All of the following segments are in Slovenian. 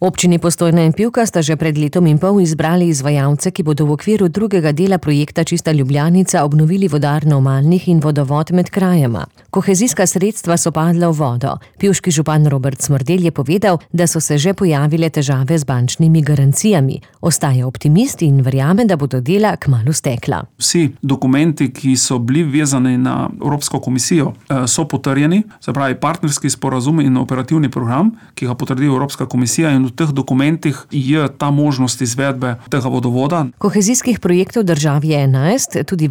Občini Postojna in Pivka sta že pred letom in pol izbrali izvajalce, ki bodo v okviru drugega dela projekta Čista Ljubljanica obnovili vodarno v Malnih in vodovod med krajema. Kohezijska sredstva so padla v vodo. Pivški župan Robert Smrdelj je povedal, da so se že pojavile težave z bančnimi garancijami. Ostaja optimist in verjame, da bodo dela kmalu stekla. Vsi dokumenti, ki so bili vezani na Evropsko komisijo, so potrjeni, se pravi partnerski sporazum in operativni program, ki ga potrdi Evropska komisija, in v teh dokumentih je ta možnost izvedbe tega vodovoda. Kohezijskih projektov v državi je 11, tudi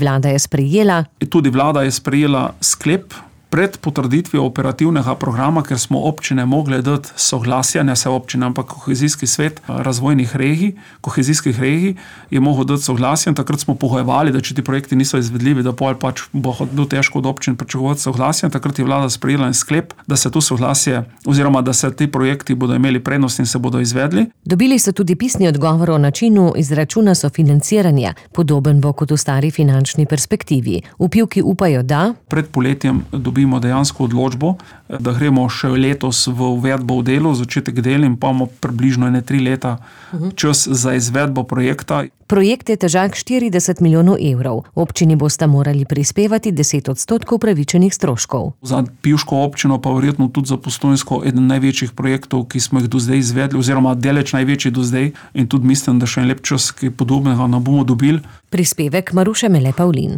vlada je sprejela sklep pred potrditvijo operativnega programa, ker smo občine mogle dati soglasje, ne se občine, ampak kohezijski svet razvojnih regij, kohezijskih regij je mogel dati soglasje, in takrat smo pogojevali, da če ti projekti niso izvedljivi, da pol pač bo bilo težko od občin pričakovati soglasje, in takrat je vlada sprejela en sklep, da se to soglasje oziroma da se ti projekti bodo imeli prednost in se bodo izvedli. Dobili so tudi pisni odgovor o načinu izračuna sofinanciranja, podoben bo kot v stari finančni perspektivi. V Pivki upajo, da pred poletjem dobimo dejansko odločbo, da gremo še letos v uvedbo v delu, začetek del, in pa imamo približno 3 leta čas za izvedbo projekta. Projekt je težak 40 milijonov evrov. Občini bosta morali prispevati 10% upravičenih stroškov. Za Pivško občino pa verjetno tudi za Postojnsko eden največjih projektov, ki smo jih do zdaj izvedli, oziroma deleč največji do zdaj, in tudi mislim, da še en lep čas, ki podobnega ne bomo dobili. Prispevek Maruše Mele Pavlin.